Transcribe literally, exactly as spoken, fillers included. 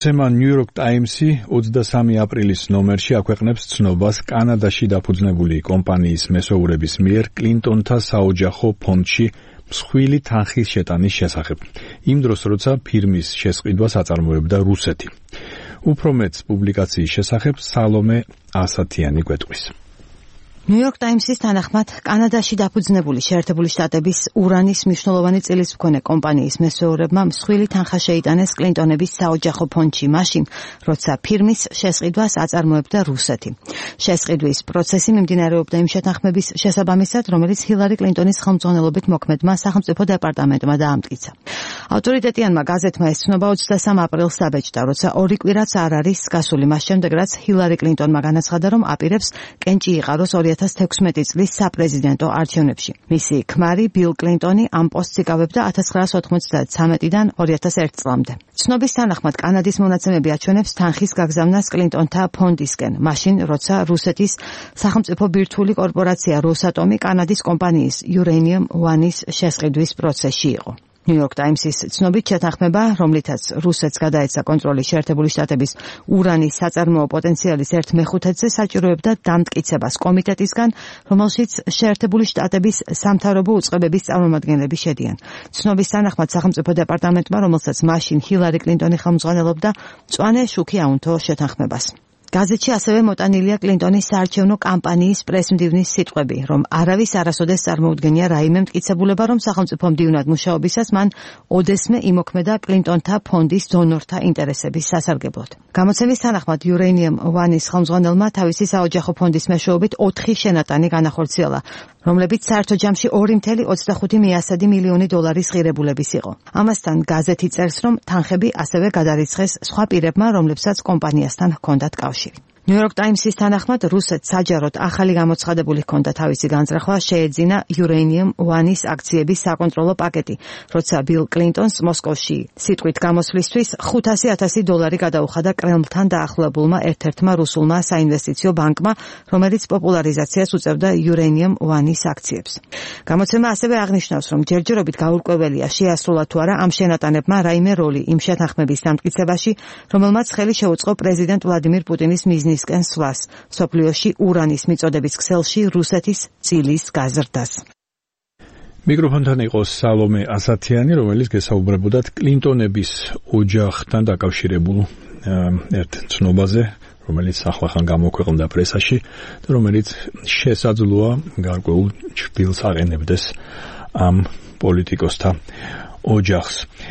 New York Times-ი ოცდასამი აპრილის ნომერში აქვეყნებს ცნობას კანადაში დაფუძნებული კომპანიის მესოურების მიერ კლინტონთა საოჯახო ფონდში მსხვილი თანხის შეტანის შესახებ. იმ დროს, როცა ფირმის შესყიდვას აწარმოებდა რუსეთი. უფრო მეტს პუბლიკაციის შესახებ სალომე ასათიანი გვეტყვის. New York Times-ის თანახმად, კანადაში დაფუძნებული შეერთებული შტატების ურანის მნიშვნელოვანი წილის მქონე კომპანიის მესოურებმა მსხვილი თანხა შეიტანეს კლინტონების საოჯახო ფონდში მაშინ, როცა ფირმის შესყიდვას აწარმოებდა რუსეთი. შესყიდვის პროცესი მიმდინარეობდა იმ შეთანხმების შესაბამისად, რომელიც ჰილარი კლინტონის ხელმძღვანელობით მოქმედმა სახელმწიფო დეპარტამენტმა დაამტკიცა. ავტორიტეტიანმა გაზეთმა ეს ცნობა ოცდასამ აპრილს დაბეჭდა, როცა ორი კვირაც არ არის გასული მას შემდეგ, რაც ჰილარი კლინტონმა განაცხადა, რომ აპირებს კენჭი იყაროს ორი ათას თექვსმეტი წლის საპრეზიდენტო არჩევნებში. მისი ქმარი ბილ კლინტონი ამ პოსტს იკავებდა ათას ცხრაას ოთხმოცდათრამეტიდან ორი ათას ერთ წლამდე. ცნობის თანახმად კანადის მონაცემები აჩვენებს თანხის გაგზავნას კლინტონთა ფონდისკენ, მაშინ როცა რუსეთის სახელმწიფო ბირთვული კორპორაცია როსატომი კანადის კომპანიის Uranium One-ის შესყიდვის პროცესში იყო. New York Times-ის ცნობით შეთანხმება, რომლითაც რუსეთს გადაეცა კონტროლი შეერთებული შტატების ურანის საწარმოო პოტენციალის ერთ მეხუთედზე საჭიროებდა დამტკიცებას კომიტეტისგან, რომელშიც შეერთებული შტატების სამთავრობო უწყებების წარმომადგენლები შედიან. ცნობის თანახმად სახელმწიფო დეპარტამენტმა, რომელსაც მაშინ ჰილარი კლინტონი ხელმძღვანელობდა, მწვანე შუქი აუნთო შეთანხმებას. გაზეთში ასევე მოტანილია კლინტონის საარჩევნო კამპანიის პრესმდივნის სიტყვები, რომ არავის არასოდეს წარმოუდგენია რაიმე მტკიცებულება, რომ სახელმწიფო მდივნად მუშაობისას მან ოდესმე იმოქმედა კლინტონთა ფონდის დონორთა ინტერესების სასარგებლოდ. გამოცემის თანახმად Uranium One-ის ხელმძღვანელმა თავისი საოჯახო ფონდის მეშვეობით ოთხი შენატანი განახორციელა, რომლებიც საერთო ჯამში ორი წუთი ოცდახუთი მიასადი მილიონი დოლარის ღირებულების იყო. ამასთან გაზეთი წერს, რომ თანხები ასევე გადარიცხეს სხვა პირებმა, რომლებსაც კომპანიასთან ჰქონდათ კავშირი. New York Times-ის თანახმად, რუსეთს საჯაროდ ახალი გამოცხადებული ჰქონდა თავისი განზრახვა შეეძინა Uranium One-ის აქციების საკონტროლო პაკეტი, როცა ბილ კლინტონს მოსკოვში სიტყვით გამოსვლისთვის ხუთასი ათასი დოლარი გადაუხადა კრემლთან დაახლოებულმა ერთ-ერთმა რუსულმა საინვესტიციო ბანკმა, რომელიც პოპულარიზაციას უწევდა Uranium One-ის აქციებს. გამოცემა ასევე აღნიშნავს, რომ ჯერჯერობით გაურკვეველია შეასრულა თუ არა ამ შენატანებმა რაიმე როლი იმ შეთანხმების დამტკიცებაში, რომელმაც ხელი შეუწყო პრეზიდენტ ვლადიმირ პუტინის მიზნით ნისკენ სვლას, სოფლიოში ურანის მიწოდების ქსელში რუსეთის წილის გაზრდას. მიკროფონთან იყო სალომე ასათიანი, რომელიც გესაუბრებოდათ კლინტონების ოჯახთან დაკავშირებულ ერთ ცნობაზე, რომელიც ახლახან გამოქვეყნდა პრესაში და რომელიც შესაძლოა გარკვეულ ჩრდილს აყენებდეს ამ პოლიტიკოსთა ოჯახს.